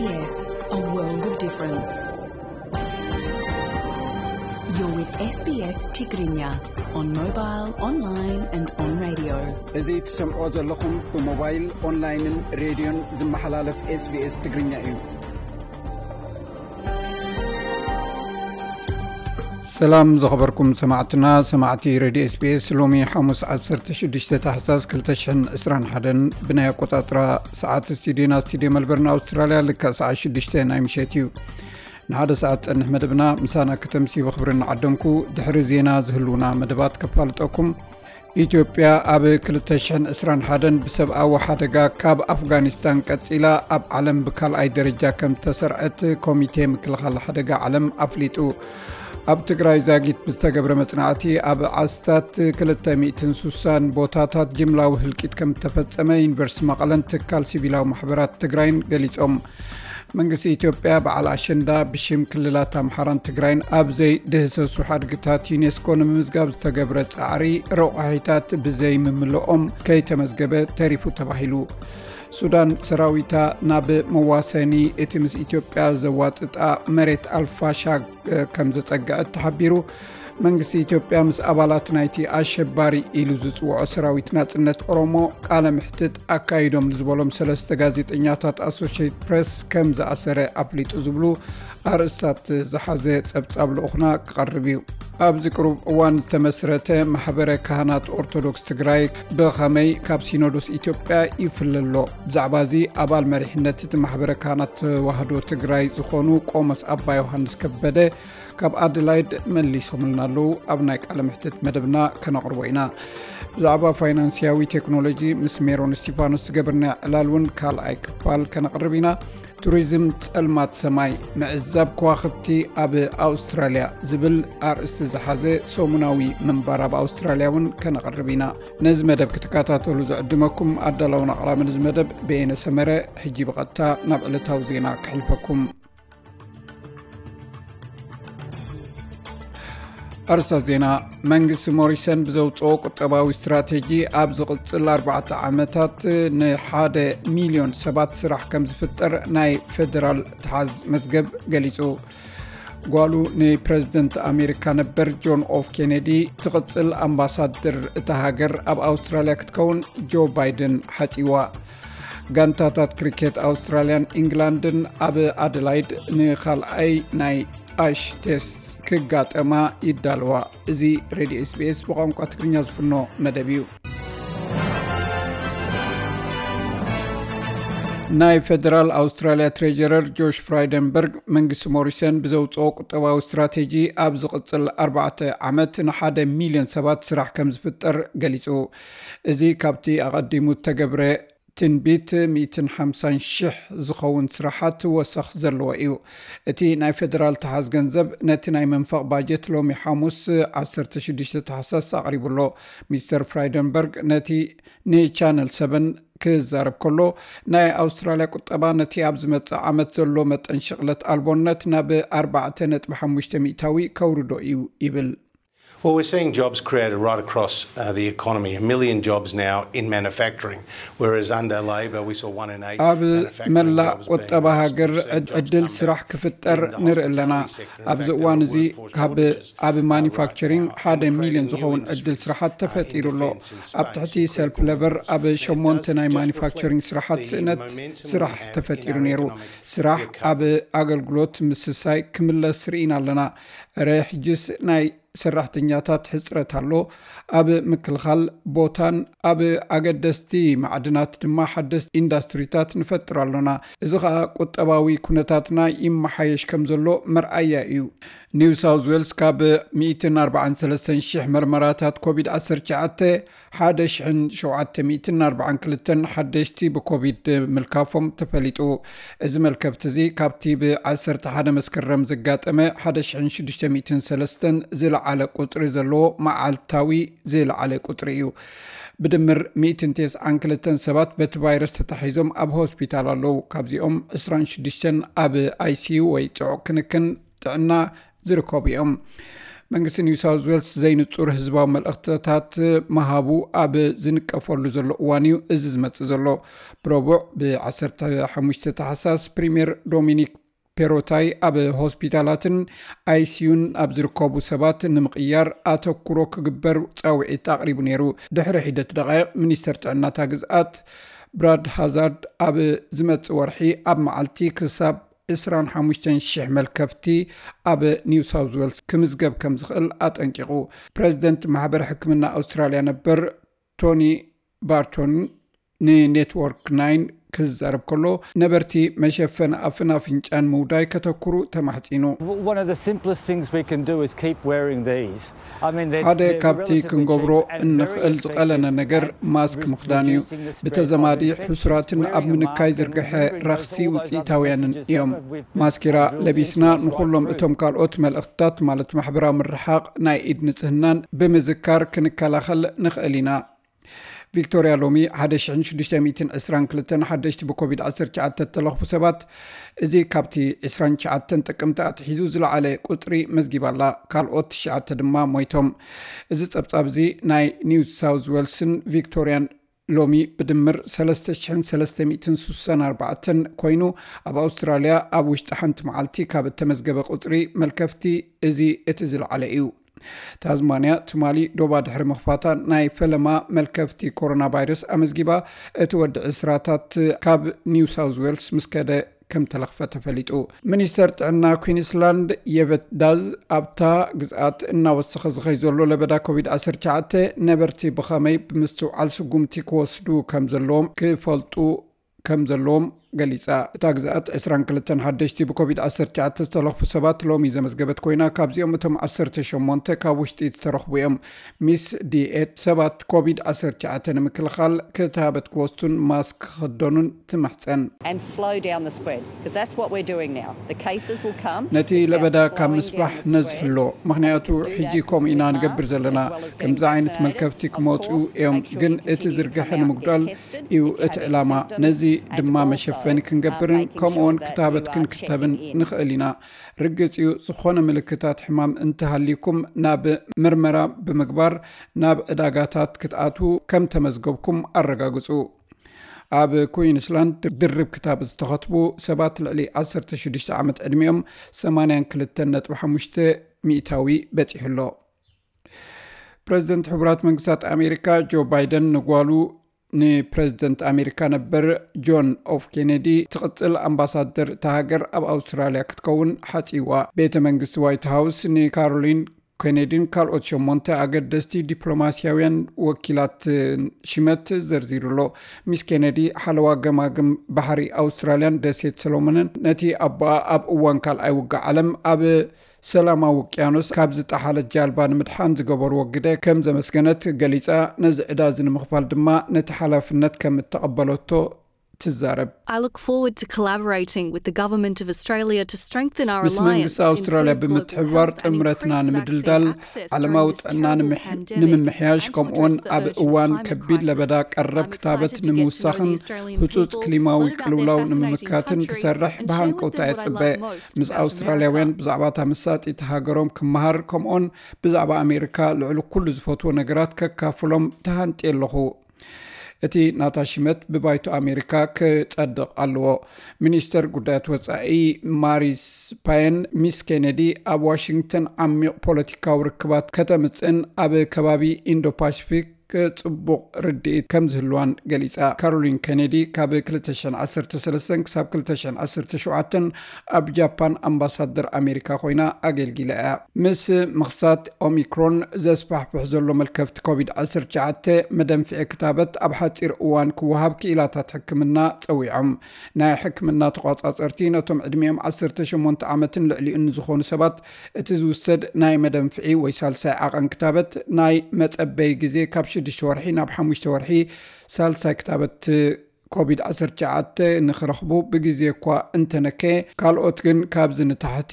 Yes, a world of difference. You're with S B S Tigrinya on mobile, online and on radio. እዚ ትሰምዖ ዘለኹም ብሞባይል፣ ኦንላይንን ሬድዮን ዝመሓላለፍ SBS ትግርኛ እዩ። ሰላም ዝኸበርኩም ሰማዕትና፣ ሰማዕቲ ሬድዮ SBS። ሎሚ ሓሙስ ዓሰርተ ሽዱሽተ ታሕሳስ ክልተ ሽሕን ዕስራን ሓደን ብናይ ኣቆጻጽራ ሰዓት ስቱዲዮና፣ ስቱዲዮ መልበርን ኣውስትራልያ፣ ልክዕ ሰዓት ሽዱሽተ ናይ ምሸት እዩ። ንሓደ ሰዓት ጸንሕ መደብና ምሳና ከተምሲ ብኽብሪ እናዓደምኩ፣ ድሕሪ ዜና ዝህልውና መደባት ከፋልጠኩም። ኢትዮጵያ ኣብ ክልተ ሽሕን ዕስራን ሓደን ብሰብኣዊ ሓደጋ ካብ ኣፍጋኒስታን ቀጺላ ኣብ ዓለም ብካልኣይ ደረጃ ከም ዝተሰርዐት ኮሚቴ ምክልኻል ሓደጋ ዓለም ኣፍሊጡ። ኣብ ትግራይ ዛጊት ብዝተገብረ መጽናዕቲ ኣብ ዓስታት ክልተ ሚእትን ሱሳን ቦታታት ጅምላዊ ህልቂት ከም ዝተፈጸመ ዩኒቨርሲቲ መቐለን ትካል ሲቪላዊ ማሕበራት ትግራይን ገሊጾም። መንግስቲ ኢትዮጵያ በዓል ኣሸንዳ ብሽም ክልላት ኣምሓራን ትግራይን ኣብ ዘይድህሰሱ ሓድግታት ዩኔስኮ ንምምዝጋብ ዝተገብረ ጻዕሪ ረቋሒታት ብዘይምምልኦም ከይተመዝገበ ተሪፉ ተባሂሉ። ሱዳን ሰራዊታ ናብ መዋሰኒ እቲ ምስ ኢትዮጵያ ዘዋጥጣ መሬት ኣልፋሻግ ከም ዘጸግዐት ተሓቢሩ። መንግስቲ ኢትዮጵያ ምስ ኣባላት ናይቲ ኣሸባሪ ኢሉ ዝጽውዖ ሰራዊት ናጽነት ኦሮሞ ቃለ ምሕትት ኣካይዶም ዝበሎም ሰለስተ ጋዜጠኛታት ኣሶሽየትድ ፕሬስ ከም ዝኣሰረ ኣፍሊጡ ዝብሉ ኣርእስታት ዝሓዘ ጸብጻብ ልኡኽና ክቐርብ እዩ። ኣብዚ ቅሩብ እዋን ዝተመስረተ ማሕበረ ካህናት ኦርቶዶክስ ትግራይ ብኸመይ ካብ ሲኖዶስ ኢትዮጵያ ይፍለ ኣሎ? ብዛዕባ እዚ ኣባል መሪሕነት እቲ ማሕበረ ካህናት ተዋህዶ ትግራይ ዝኾኑ ቆሞስ ኣባ ዮሃንስ ከበደ ካብ ኣደላይድ መሊሶምልና ኣለዉ። ኣብ ናይ ቃለ ምሕትት መደብና ከነቕርቦ ኢና። ብዛዕባ ፋይናንስያዊ ቴክኖሎጂ ምስ ሜሮን እስቲፋኖስ ዝገበርና ዕላል እውን ካልኣይ ክፋል ከነቕርብ ኢና። ቱሪዝም ጸልማት ሰማይ፣ ምዕዛብ ከዋኽብቲ ኣብ ኣውስትራልያ ዝብል ኣርእስቲ ዝሓዘ ሰሙናዊ ምንባር ኣብ ኣውስትራልያ እውን ከነቕርብ ኢና። ነዚ መደብ ክትከታተሉ ዝዕድመኩም ኣዳላውን ኣቕራብን እዚ መደብ በየነ ሰመረ። ሕጂ ብቐጥታ ናብ ዕለታዊ ዜና ክሕልፈኩም። ኣርእስታት ዜና። መንግስቲ ሞሪሰን ብዘውፅኦ ቁጠባዊ ስትራቴጂ ኣብ ዝቕፅል ኣርባዕተ ዓመታት ንሓደ ሚልዮን ሰባት ስራሕ ከም ዝፍጠር ናይ ፌደራል ተሓዝ መዝገብ ገሊፁ። ጓሉ ንፕረዚደንት ኣሜሪካ ነበር ጆን ኤፍ ኬኔዲ ትቕፅል ኣምባሳደር እታ ሃገር ኣብ ኣውስትራልያ ክትከውን ጆ ባይደን ሓፂዋ። ጋንታታት ክሪኬት ኣውስትራልያን ኢንግላንድን ኣብ ኣደላይድ ንኻልኣይ ናይ ኣሽ ቴስት ክጋጠማ ይዳለዋ። እዚ ሬድዮ SBS ብቋንቋ ትግርኛ ዝፍኖ መደብ እዩ። ናይ ፌደራል ኣውስትራልያ ትሬጀረር ጆሽ ፍራይደንበርግ መንግስቲ ሞሪሰን ብዘውፅኦ ቁጠባዊ ስትራቴጂ ኣብ ዝቕፅል ኣርባዕተ ዓመት ንሓደ ሚልዮን ሰባት ስራሕ ከም ዝፍጠር ገሊፁ። እዚ ካብቲ ኣቐዲሙ እተገብረ ትንቢት ሚእትን ሓምሳን ሽሕ ዝኸውን ስራሓት ወሰኽ ዘለዎ እዩ። እቲ ናይ ፌደራል ተሓዝ ገንዘብ ነቲ ናይ መንፈቕ ባጀት ሎሚ ሓሙስ ዓሰርተ ሽዱሽተ ታሕሳስ ኣቕሪቡ ኣሎ። ሚስተር ፍራይደንበርግ ነቲ ንቻነል ሰቨን ክዛረብ ከሎ፣ ናይ ኣውስትራልያ ቁጠባ ነቲ ኣብ ዝመጽእ ዓመት ዘሎ መጠን ሽቕለት ኣልቦነት ናብ ኣርባዕተ ነጥቢ ሓሙሽተ ሚእታዊ ከውርዶ እዩ ይብል። Well, we're seeing jobs created right across uh, the economy. A million jobs now in manufacturing, whereas under Labor we saw one in eight ኣብ መላእ ቁጠባ ሃገር ዕድል ስራሕ ክፍጠር ንርኢ ኣለና። ኣብዚ እዋን እዚ ካብ ኣብ ማኒፋክቸሪንግ ሓደ ሚልዮን ዝኸውን ዕድል ስራሓት ተፈጢሩ ኣሎ። ኣብ ትሕቲ ሰልፍ ለበር ኣብ ሸሞንተ ናይ ማኒፋክቸሪንግ ስራሓት ስእነት ስራሕ ተፈጢሩ ነይሩ። ስራሕ ኣብ ኣገልግሎት ምስሳይ ክምለስ ርኢና ኣለና። እረ ሕጅስ ናይ ሰራሕተኛታት ሕፅረት ኣሎ። ኣብ ምክልኻል ቦታን ኣብ ኣገደስቲ ማዕድናት ድማ ሓደስቲ ኢንዳስትሪታት ንፈጥር ኣሎና። እዚ ኸኣ ቁጠባዊ ኩነታትና ይመሓየሽ ከም ዘሎ መርኣያ እዩ። ኒው ሳውዝ ዌልስ ካብ ሚእትን ኣርባዓን ሰለስተን ሽሕ መርመራታት ኮቪድ ዓሰርተ ትሽዓተ ሓደ ሽሕን ሸውዓተ ሚእትን ኣርባዓን ክልተን ሓደሽቲ ብኮቪድ ምልካፎም ተፈሊጡ። እዚ መልከፍቲ እዚ ካብቲ ብ ዓሰርተ ሓደ መስከረም ዘጋጠመ ሓደ ሽሕን ሽዱሽተ ሚእትን ሰለስተን ዝለዓለ ቁጽሪ ዘለዎ መዓልታዊ ዝለዓለ ቁጽሪ እዩ። ብድምር ሚእትን ተስዓን ክልተን ሰባት በቲ ቫይረስ ተታሒዞም ኣብ ሆስፒታል ኣለዉ። ካብዚኦም ዕስራን ሽዱሽተን ኣብ ኣይሲዩ ወይ ጽዑቕ ክንክን ጥዕና ዝርከቡ እዮም። መንግስቲ ኒው ሳውዝ ዌልስ ዘይንጹር ህዝባዊ መልእኽትታት ምሃቡ ኣብ ዝንቀፈሉ ዘሎ እዋን እዩ እዚ ዝመጽእ ዘሎ። ብረቡዕ ብ15 ታሕሳስ ፕሪምየር ዶሚኒክ ፔሮታይ ኣብ ሆስፒታላትን ኣይሲዩን ኣብ ዝርከቡ ሰባት ንምቕያር ኣተኩሮ ክግበር ጻውዒት ኣቕሪቡ ነይሩ። ድሕሪ ሒደት ደቃይቕ ሚኒስተር ጥዕናታ ግዝኣት ብራድ ሃዛርድ ኣብ ዝመጽእ ወርሒ ኣብ መዓልቲ ክሳብ 25,000 መልከፍቲ ኣብ ኒው ሳውዝ ዌልስ ክምዝገብ ከም ዝኽእል ኣጠንቂቑ። ፕሬዚደንት ማሕበር ሕክምና ኣውስትራልያ ነበር ቶኒ ባርቶን ንኔትወርክ ናይን ክዛረብ ከሎ፣ ነበርቲ መሸፈኒ ኣፍን ኣፍንጫን ምውዳይ ከተኩሩ ተማሕጺኑ። One of the simplest things we can do is keep wearing these. I mean, they're, ሓደ they're ካብቲ relatively ክንገብሮ cheap and very እንኽእል ዝቐለለ effective ነገር at ማስክ res- ምኽዳን እዩ። reducing the spread ብተዘማዲ of infection. ሕሱራትን ኣብ Wearing a ምንካይ mask and ዝርግሐ remembering those, ረኽሲ all those other ውፅኢታውያንን messages that እዮም። we've been ማስኬራ drilled ለቢስና into us right ንኹሎም through. እቶም ካልኦት መልእኽትታት ማለት ማሕበራዊ ምርሓቕ፣ ናይ ኢድ ንጽህናን ብምዝካር ክንከላኸል ንኽእል ኢና። ቪክቶርያ ሎሚ 1,622 ሓደሽቲ ብኮቪድ-19 እተለኽፉ ሰባት፣ እዚ ካብቲ 29 ጥቅምቲ ኣትሒዙ ዝለዓለ ቁጽሪ መዝጊባ ኣላ። ካልኦት ትሽዓተ ድማ ሞይቶም። እዚ ጸብጻብ እዚ ናይ ኒው ሳውዝ ዌልስን ቪክቶርያን ሎሚ ብድምር 3,364 ኮይኑ፣ ኣብ ኣውስትራልያ ኣብ ውሽጢ ሓንቲ መዓልቲ ካብ እተመዝገበ ቁጽሪ መልከፍቲ እዚ እቲ ዝለዓለ እዩ። ታዝማንያ ትማሊ ዶባ ድሕሪ ምኽፋታ ናይ ፈለማ መልከፍቲ ኮሮና ቫይረስ ኣመዝጊባ፣ እቲ ወዲ ዕስራታት ካብ ኒው ሳውዝ ዌልስ ምስ ከደ ከም ተለኽፈ ተፈሊጡ። ሚኒስተር ጥዕና ኩዊንስላንድ የቨት ዳዝ ኣብታ ግዝኣት እናወሰኸ ዝኸይ ዘሎ ለበዳ ኮቪድ-19 ነበርቲ ብኸመይ ብምስትውዓል ስጉምቲ ክወስዱ ከም ዘለዎም ክፈልጡ ከም ዘለዎም ገሊጻ። እታ ግዝኣት 22 ሓደሽቲ ብኮቪድ-19 ዝተለኽፉ ሰባት ሎሚ ዘመዝገበት ኮይና፣ ካብዚኦም እቶም 18 ካብ ውሽጢ ዝተረኽቡ እዮም። ሚስ ዲኤት ሰባት ኮቪድ-19 ንምክልኻል ክታበት ክወስዱን ማስክ ክኽደኑን ትምሕጸን። And slow down the spread, because that's what we're doing now. The cases will come. ነቲ ለበዳ ካብ ምስፋሕ ነዝሕሎ፣ ምኽንያቱ ሕጂ ከምኡ ኢና ንገብር ዘለና። ከምዚ ዓይነት መልከፍቲ ክመፁ እዮም፣ ግን እቲ ዝርግሐ ንምጉዳል እዩ እቲ ዕላማ። ነዚ ድማ መሸፈኒ ክንገብርን ከምኡውን ክታበት ክንክተብን ንኽእል ኢና። ርግጽ እዩ፣ ዝኾነ ምልክታት ሕማም እንተሃልዩኩም ናብ ምርመራ ብምግባር ናብ ዕዳጋታት ክትኣትዉ ከም ተመዝገብኩም ኣረጋግጹ። ኣብ ኩዊንስላንድ ድርብ ክታበት ዝተኸትቡ ሰባት ልዕሊ 16 ዓመት ዕድሚኦም 82.5% በጺሑ ኣሎ። ፕሬዚደንት ሕቡራት መንግስታት ኣሜሪካ ጆ ባይደን ንጓሉ ንፕሬዚደንት ኣሜሪካ ነበር ጆን ኤፍ ኬኔዲ ትቕጽል ኣምባሳደር እታ ሃገር ኣብ ኣውስትራልያ ክትከውን ሓጺዋ። ቤተ መንግስቲ ዋይት ሃውስ ንካሮሊን ኬኔዲን ካልኦት ሸሞንተ ኣገደስቲ ዲፕሎማስያውያን ወኪላት ሽመት ዘርዚሩ ኣሎ። ሚስ ኬኔዲ ሓለዋ ገማግም ባሕሪ ኣውስትራልያን ደሴት ሰሎሞንን ነቲ ኣቦኣ ኣብ እዋን ካልኣይ ውግእ ዓለም ኣብ ሰላማዊ ውቅያኖስ ካብ ዝጠሓለት ጃልባ ንምድሓን ዝገበርዎ ግደ ከም ዘመስገነት ገሊጻ፣ ነዚ ዕዳ እዚ ንምኽፋል ድማ ነቲ ሓላፍነት ከም እተቐበለቶ ትዛረብ። I look forward to collaborating with the Government of Australia to strengthen our ምስ መንግስቲ alliance, ኣውስትራልያ improve global ብምትሕብባር health and ጥምረትና increase ንምድልዳል፣ vaccine access ዓለማዊ during this ጥዕና terrible ንምሕ- pandemic ንምምሕያሽ፣ and to ከምኡውን address the ኣብ urgent እዋን climate ከቢድ ለበዳ crisis. ቀረብ I'm ክታበት excited to get to know the ንምውሳኽን Australian ህጹጽ people, ክሊማዊ learn about their ቅልውላው fascinating ንምምካትን country, ክሰርሕ and share with ብሃንቀውታ them what I ይጽበ። love most ምስ about ኣውስትራልያውያን America. ብዛዕባ እታ መሳጢት ሃገሮም ክመሃር፣ ከምኡውን ብዛዕባ ኣሜሪካ ልዕሊ ኩሉ ዝፈትዎ ነገራት ከካፍሎም ተሃንጥየ ኣለኹ። እቲ ናታ ሽመት ብባይቶ ኣሜሪካ ክጸድቕ ኣለዎ። ሚኒስተር ጉዳያት ወጻኢ ማሪስ ፓየን፣ ሚስ ኬነዲ ኣብ ዋሽንግተን ዓሚቕ ፖለቲካዊ ርክባት ከተምጽእን ኣብ ከባቢ ኢንዶ ፓሲፊክ ጽቡቕ ርድኢት ከም ዝህልዋን ገሊጻ። ካሮሊን ኬነዲ ካብ 2013 ክሳብ 2017 ኣብ ጃፓን ኣምባሳደር ኣሜሪካ ኮይና ኣገልጊላ እያ። ምስ ምኽሳት ኦሚክሮን ዘስፋሕፍሕ ዘሎ መልከፍቲ ኮቪድ-19፣ መደንፍዒ ክታበት ኣብ ሓጺር እዋን ክወሃብ ክኢላታት ሕክምና ጸዊዖም። ናይ ሕክምና ተቋጻጸርቲ ነቶም ዕድሚኦም 18 ዓመትን ልዕሊኡን ንዝኾኑ ሰባት እቲ ዝውሰድ ናይ መደንፍዒ ወይ ሳልሳይ ዓቐን ክታበት ናይ መጸበይ ግዜ ካብ ሽዱሽተ ወርሒ ናብ ሓሙሽተ ወርሒ፣ ሳልሳይ ክታበት ኮቪድ-19 ንኽረኽቡ ብግዜ እኳ እንተነከየ፣ ካልኦት ግን ካብዚ ንታሕቲ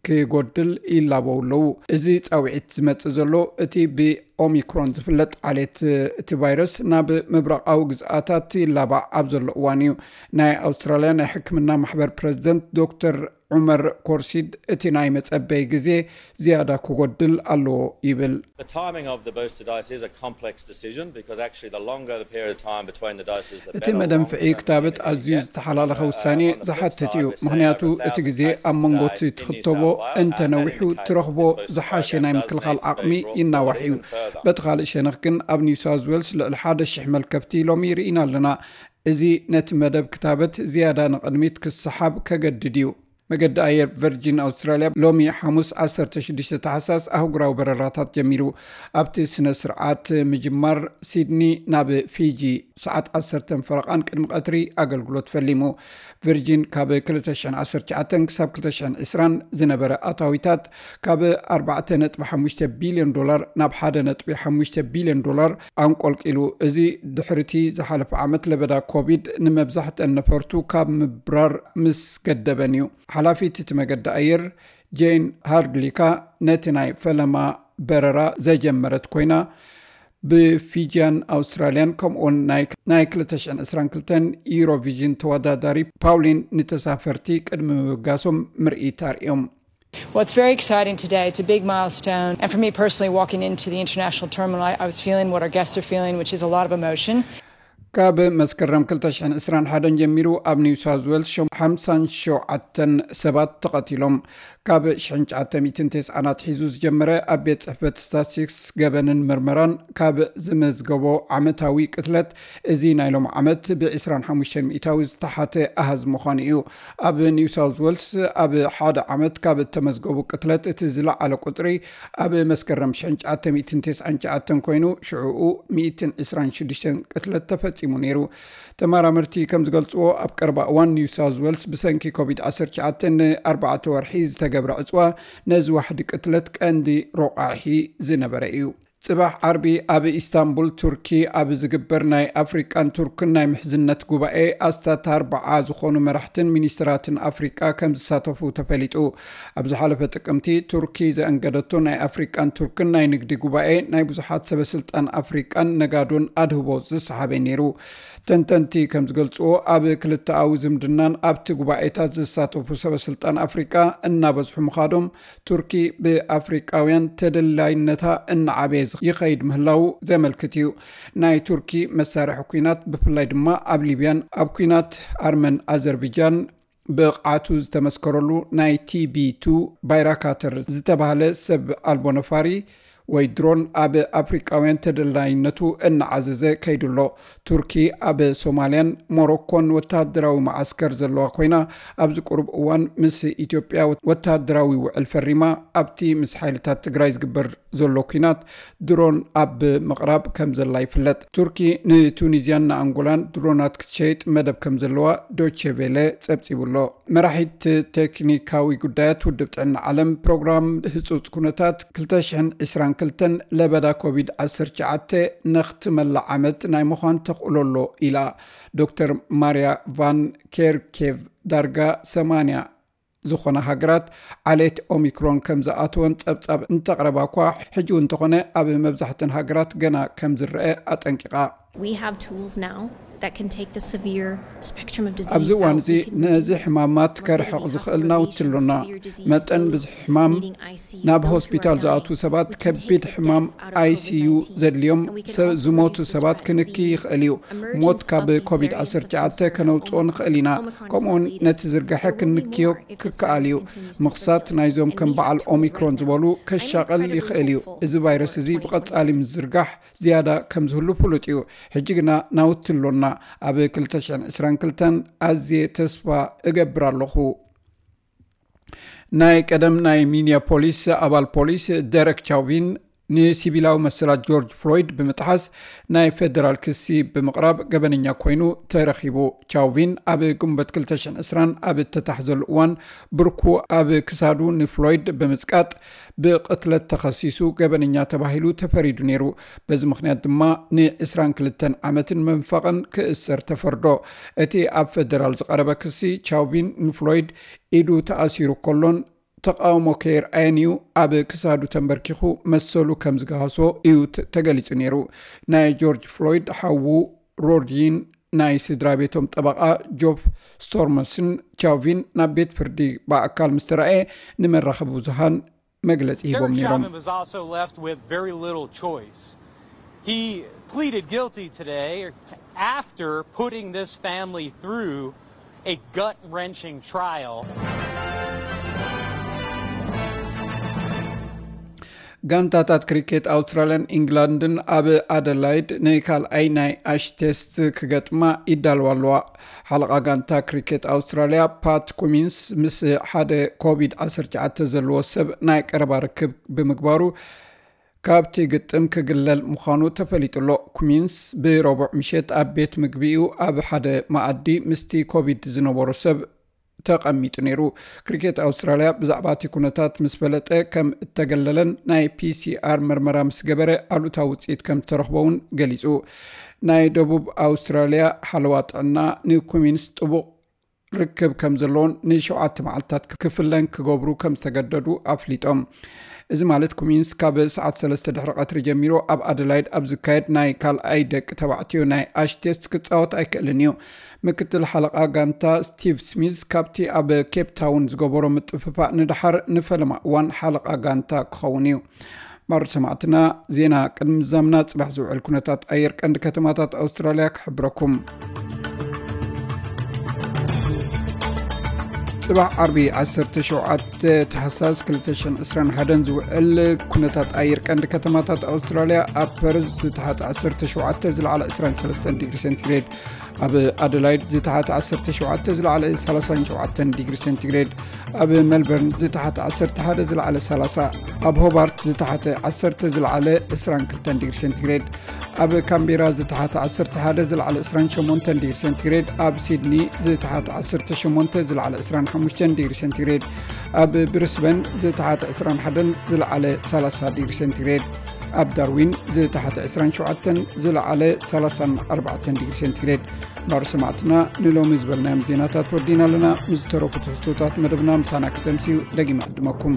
ክጎድል ይላበው ኣለዉ። እዚ ጻውዒት ዝመጽእ ዘሎ፣ እቲ ብኦሚክሮን ዝፍለጥ ዓሌት እቲ ቫይረስ ናብ ምብራቓዊ ግዝኣታት ይላባዕ ኣብ ዘሎ እዋን እዩ። ናይ ኣውስትራልያ ናይ ሕክምና ማሕበር ፕረዚደንት ዶክተር ዑመር ኮርሺድ፣ እቲ ናይ መጸበይ ግዜ ዝያዳ ክጎድል ኣለዎ ይብል። The timing of the booster dose is a complex decision because actually the longer the period of time between the doses, the እቲ መደንፍዒ ክታበት ኣዝዩ ዝተሓላለኸ ውሳኔ ዝሓትት እዩ። ምክንያቱ እቲ ግዜ ኣብ መንጎ እቲ ትኽተቦ እንተነዊሑ ትረኽቦ ዝሓሸ ናይ ምክልኻል ዓቕሚ ይናዋሕ እዩ። በቲ ካልእ ሸነኽ ግን ኣብ ኒው ሳውዝ ዌልስ ልዕሊ ሓደ ሽሕ መልከፍቲ ሎሚ ርኢና ኣለና። እዚ ነቲ መደብ ክታበት ዝያዳ ንቕድሚት ክሰሓብ ከገድድ እዩ። መገዲ ኣየር ቨርጂን ኣውስትራልያ ሎሚ ሓሙስ ዓሰርተ ሽዱሽተ ታሕሳስ ኣህጉራዊ በረራታት ጀሚሩ። ኣብቲ ስነ ስርዓት ምጅማር ሲድኒ ናብ ፊጂ ሰዓት ዓሰርተ ፈረቓን ቅድሚ ቀትሪ ኣገልግሎት ፈሊሙ። ቨርጂን ካብ ክልተ ሽሕን ዓሰርተ ትሽዓተን ክሳብ ክልተ ሽሕን ዕስራን ዝነበረ ኣታዊታት ካብ ኣርባዕተ ነጥቢ ሓሙሽተ ቢልዮን ዶላር ናብ ሓደ ነጥቢ ሓሙሽተ ቢልዮን ዶላር ኣንቆልቂሉ። እዚ ድሕሪቲ ዝሓለፈ ዓመት ለበዳ ኮቪድ ንመብዛሕተን ነፈርቱ ካብ ምብራር ምስ ገደበን እዩ። ሓላፊት እቲ መገዲ ኣየር ጄን ሃርድሊካ ነቲ ናይ ፈለማ በረራ ዘጀመረት ኮይና፣ ብፊጂያን ኣውስትራልያን ከምኡውን ናይ ክልተ ሽሕን ዕስራን ክልተን ዩሮቪዥን ተወዳዳሪ ፓውሊን ንተሳፈርቲ ቅድሚ ምብጋሶም ምርኢት ኣርእዮም። Well, it's very exciting today. It's a big milestone. And for me personally, walking into the international terminal, I, I was feeling what our guests are feeling, which is a lot of emotion. ካብ መስከረም ክልተ ሽሕን ዕስራን ሓደን ጀሚሩ ኣብ ኒው ሳውዝ ዌልስ ሓምሳን ሸውዓተን ሰባት ተቐቲሎም። ካብ ሽሕን ትሽዓተ ሚእትን ተስዓን ኣትሒዙ ዝጀመረ ኣብ ቤት ጽሕፈት ስታትስቲክስ ገበንን ምርመራን ካብ ዝመዝገቦ ዓመታዊ ቅትለት፣ እዚ ናይ ሎም ዓመት ብ ዕስራን ሓሙሽተን ሚእታዊ ዝተሓተ ኣሃዝ ምዃኑ እዩ። ኣብ ኒው ሳውዝ ዌልስ ኣብ ሓደ ዓመት ካብ እተመዝገቡ ቅትለት እቲ ዝለዓለ ቁጽሪ ኣብ መስከረም ሽሕን ትሽዓተ ሚእትን ተስዓን ትሽዓተን ኮይኑ፣ ሽዕኡ ሚእትን ዕስራን ሽዱሽተን ቅትለት ተፈጺሙ ነይሩ። ተመራመርቲ ከም ዝገልጽዎ፣ ኣብ ቀረባ እዋን ኒው ሳውዝ ዌልስ ብሰንኪ ኮቪድ ዓሰርተ ትሽዓተ ንኣርባዕተ ወርሒ ዝተገብረ ዕጽዋ ነዚ ዋሕዲ ቅትለት ቀንዲ ሮቃሒ ዝነበረ እዩ። ጽባሕ ዓርቢ ኣብ ኢስታንቡል ቱርኪ ኣብ ዝግበር ናይ ኣፍሪቃን ቱርክን ናይ ምሕዝነት ጉባኤ ኣስታት ኣርባዓ ዝኾኑ መራሕትን ሚኒስትራትን ኣፍሪቃ ከም ዝሳተፉ ተፈሊጡ። ኣብ ዝሓለፈ ጥቅምቲ ቱርኪ ዘእንገደቶ ናይ ኣፍሪቃን ቱርክን ናይ ንግዲ ጉባኤ ናይ ብዙሓት ሰበስልጣን ኣፍሪቃን ነጋዶን ኣድህቦ ዝሰሓበ ነይሩ። ተንተንቲ ከም ዝገልጽዎ፣ ኣብ ክልተኣዊ ዝምድናን ኣብቲ ጉባኤታት ዝሳተፉ ሰበስልጣን ኣፍሪቃ እናበዝሑ ምኻዶም፣ ቱርኪ ብኣፍሪቃውያን ተደላይነታ እናዓበየ ይኸይድ ምህላዉ ዘመልክት እዩ። ናይ ቱርኪ መሳርሒ ኲናት፣ ብፍላይ ድማ ኣብ ሊብያን ኣብ ኲናት ኣርመን ኣዘርቢጃን ብቕዓቱ ዝተመስከረሉ ናይ ቲ ቢ ቱ ባይራካተር ዝተባህለ ሰብ ኣልቦ ነፋሪ ወይ ድሮን ኣብ ኣፍሪቃውያን ተደላይነቱ እናዓዘዘ ከይዱ ኣሎ። ቱርኪ ኣብ ሶማልያን ሞሮኮን ወተሃደራዊ መዓስከር ዘለዋ ኮይና፣ ኣብዚ ቁሩብ እዋን ምስ ኢትዮጵያ ወተሃደራዊ ውዕል ፈሪማ። ኣብቲ ምስ ሓይልታት ትግራይ ዝግበር ዘሎ ኲናት ድሮን ኣብ ምቕራብ ከም ዘላ ይፍለጥ። ቱርኪ ንቱኒዝያን ንኣንጎላን ድሮናት ክትሸይጥ መደብ ከም ዘለዋ ዶቼ ቬለ ጸብጺቡ ኣሎ። መራሒት ቴክኒካዊ ጉዳያት ውድብ ጥዕና ዓለም ፕሮግራም ህጹጽ ኩነታት ክልተ ሽሕን ዕስራን ክልተን ለበዳ ኮቪድ ዓሰርተ ትሽዓተ ነኽትመላ ዓመት ናይ ምዃን ተኽእሎ ኣሎ ኢላ። ዶክተር ማርያ ቫን ኬርኬቭ፣ ዳርጋ ሰማንያ ዝኾና ሃገራት ዓሌት ኦሚክሮን ከም ዝኣተወን ጸብጻብ እንተቕረባ እኳ፣ ሕጂ እውን እንተኾነ ኣብ መብዛሕተን ሃገራት ገና ከም ዝረአ ኣጠንቂቓ። We have tools now that can take the severe spectrum of disease ኣብዚ እዋን out. እዚ We can ነዚ reduce ሕማማት morbidity, ከርሕቕ ዝኽእል hospitalization, ናውቲ ኣሎና። severe disease መጠን loads, ብዝሒ ሕማም needing I C U, ናብ go through ሆስፒታል our ዝኣትዉ tools. ሰባት We can ከቢድ take the ሕማም death out of ኣይ ሲ ዩ COVID nineteen, ዘድልዮም and we can ሰ- also ዝሞቱ reduce the ሰባት spread. ክንኪ The ይኽእል እዩ። emergence ሞት of ካብ these ኮቪድ variants of ዓሰርተ ትሽዓተ concern, ከነውፅኦ Omicron ንኽእል ኢና። is still ከምኡውን early ነቲ days. ዝርጋሐ There will be ክንክዮ more if this ክከኣል እዩ። virus continues to ምኽሳት circulate, ናይዞም and ከም we have በዓል tools right ኦሚክሮን now. ዝበሉ I'm ከሻቕል incredibly ይኽእል እዩ። hopeful እዚ ቫይረስ for እዚ twenty twenty. ብቐጻሊ ምዝርጋሕ ዝያዳ ከም ዝህሉ ፍሉጥ እዩ። ሕጂ ግና ናውቲ ኣሎና። ኣብ ክልተ ሽሕን ዕስራን ክልተን ኣዝየ ተስፋ እገብር ኣለኹ። ናይ ቀደም ናይ ሚኒያፖሊስ ኣባል ፖሊስ ደረክ ቻውቪን ንሲቪላዊ መሰላት ጆርጅ ፍሎይድ ብምጥሓስ ናይ ፌደራል ክሲ ብምቕራብ ገበነኛ ኮይኑ ተረኺቡ። ቻውቪን ኣብ ግንቦት ክልተ ሽሕን ዕስራን ኣብ እተታሕዘሉ እዋን፣ ብርኩ ኣብ ክሳዱ ንፍሎይድ ብምጽቃጥ ብቕትለት ተኸሲሱ ገበነኛ ተባሂሉ ተፈሪዱ ነይሩ። በዚ ምኽንያት ድማ ንዕስራን ክልተን ዓመትን መንፈቕን ክእሰር ተፈርዶ። እቲ ኣብ ፌደራል ዝቐረበ ክሲ፣ ቻውቪን ንፍሎይድ ኢዱ ተኣሲሩ ከሎን ተቓውሞ ከየርኣየን እዩ ኣብ ክሳዱ ተንበርኪኹ መሰሉ ከም ዝገሃሶ እዩ ተ- ተገሊጹ ነይሩ። ናይ ጆርጅ ፍሎይድ ሓዉ ሮድይን ናይ ስድራ ቤቶም ጠበቓ ጆፍ ስቶርመስን ቻውቪን ናብ ቤት ፍርዲ ብኣካል ምስ ተረኣየ ንመራኸቢ ብዙሃን መግለጺ ሂቦም ነይሮም። Was also left with very little choice. He pleaded guilty today after putting this family through a gut wrenching trial. ጋንታታት ክሪኬት ኣውስትራልያን ኢንግላንድን ኣብ ኣደላይድ ንካልኣይ ናይ ኣሽ ቴስት ክገጥማ ይዳልዋ ኣለዋ። ሓለቓ ጋንታ ክሪኬት ኣውስትራልያ ፓት ኩሚንስ ምስ ሓደ ኮቪድ ዓሰርተ ትሽዓተ ዘለዎ ሰብ ናይ ቀረባ ርክብ ብምግባሩ ካብቲ ግጥም ክግለል ምዃኑ ተፈሊጡ ኣሎ። ኩሚንስ ብረቡዕ ምሸት ኣብ ቤት ምግቢኡ ኣብ ሓደ መኣዲ ምስቲ ኮቪድ ዝነበሮ ሰብ ተቐሚጡ ነይሩ። ክሪኬት ኣውስትራልያ ብዛዕባ እቲ ኩነታት ምስ ፈለጠ ከም እተገለለን ናይ ፒሲኣር መርመራ ምስ ገበረ ኣሉታዊ ውፅኢት ከም ዝተረኽቦ እውን ገሊፁ። ናይ ደቡብ ኣውስትራልያ ሓለዋ ጥዕና ንኩሚንስ ጥቡቕ ርክብ ከም ዘለዎን ንሸውዓተ መዓልታት ክፍለን ክገብሩ ከም ዝተገደዱ ኣፍሊጦም። እዚ ማለት ኩሚንስ ካብ ሰዓት ሰለስተ ድሕሪ ቀትሪ ጀሚሩ ኣብ ኣደላይድ ኣብ ዝካየድ ናይ ካልኣይ ደቂ ተባዕትዮ ናይ ኣሽ ቴስት ክጻወት ኣይክእልን እዩ። ምክትል ሓለቓ ጋንታ ስቲቭ ስሚዝ ካብቲ ኣብ ኬፕ ታውን ዝገበሮ ምጥፍፋእ ንድሓር ንፈለማ እዋን ሓለቓ ጋንታ ክኸውን እዩ። ማሩ ሰማዕትና፣ ዜና ቅድሚ ምዛምና ጽባሕ ዝውዕል ኩነታት ኣየር ቀንዲ ከተማታት ኣውስትራልያ ክሕብረኩም። ጽባሕ ዓርቢ ዓሰርተ ሸውዓተ ታሕሳስ ክልተ ሽሕን ዕስራን ሓደን ዝውዕል ኩነታት ኣየር ቀንዲ ከተማታት ኣውስትራልያ፣ ኣብ ፐርዝ ዝተሓተ ዓሰርተ ሸውዓተ ዝለዓለ ዕስራን ሰለስተን ዲግሪ ሴንቲግሬድ፣ ኣብ ኣደላይድ ዝተሓተ ዓሰርተ ሸውዓተ ዝለዓለ ሰላሳን ሸውዓተን ዲግሪ ሴንቲግሬድ፣ ኣብ ሜልበርን ዝተሓተ ዓሰርተ ሓደ ዝለዓለ ሰላሳ፣ ኣብ ሆባርት ዝተሓተ ዓሰርተ ዝለዓለ ዕስራን ክልተን ዲግሪ ሴንቲግሬድ፣ ኣብ ካምቤራ ዝተሓተ ዓሰርተ ሓደ ዝለዓለ ዕስራን ሸሞንተን ዲግሪ ሴንቲግሬድ፣ ኣብ ሲድኒ ዝተሓተ ዓሰርተ ሸሞንተ ዝለዓለ ዕስራን ሓሙሽተን ዲግሪ ሴንቲግሬድ፣ ኣብ ብሪስበን ዝተሓተ ዕስራን ሓደን ዝለዓለ ሰላሳ ዲግሪ ሴንቲግሬድ፣ ኣብ ዳርዊን ዝተሓተ ዕስራን ሸውዓተን ዝለዓለ ሰላሳን ኣርባዕተን ዲግሪ ሴንቲግሬድ። ማሩ ሰማዕትና፣ ንሎሚ ዝበልናዮም ዜናታት ወዲና ኣለና። ምስ ዝተረፉ ትሕዝቶታት መደብና ምሳና ክተምስዩ ደጊመ ዕድመኩም።